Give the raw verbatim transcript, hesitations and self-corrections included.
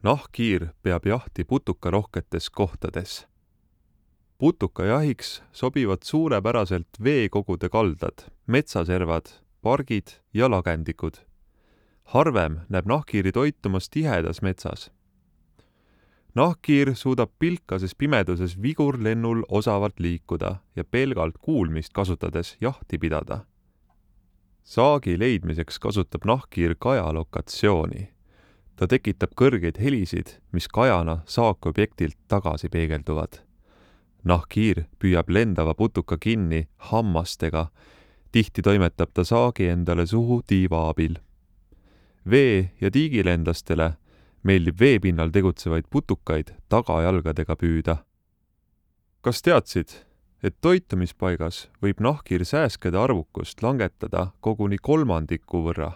Nahkhiir peab jahti putukarohketes kohtades. Putukajahiks sobivad suurepäraselt veekogude kaldad, metsaservad, pargid ja lagendikud. Harvem näeb nahkhiiri toitumas tihedas metsas. Nahkhiir suudab pilkases pimeduses vigurlennul osavalt liikuda ja pelgalt kuulmist kasutades jahti pidada. Saagi leidmiseks kasutab nahkhiir kaja lokatsiooni. Ta tekitab kõrgeid helisid, mis kajana saakobjektilt tagasi peegelduvad. Nahkhiir püüab lendava putuka kinni hammastega, tihti toimetab ta saagi endale suhu tiiva abil. Vee- ja tiigilendlastele meeldib veepinnal tegutsevaid putukaid tagajalgadega püüda. Kas teadsid, et toitumispaigas võib nahkhiir sääskede arvukust langetada koguni kolmandiku võrra?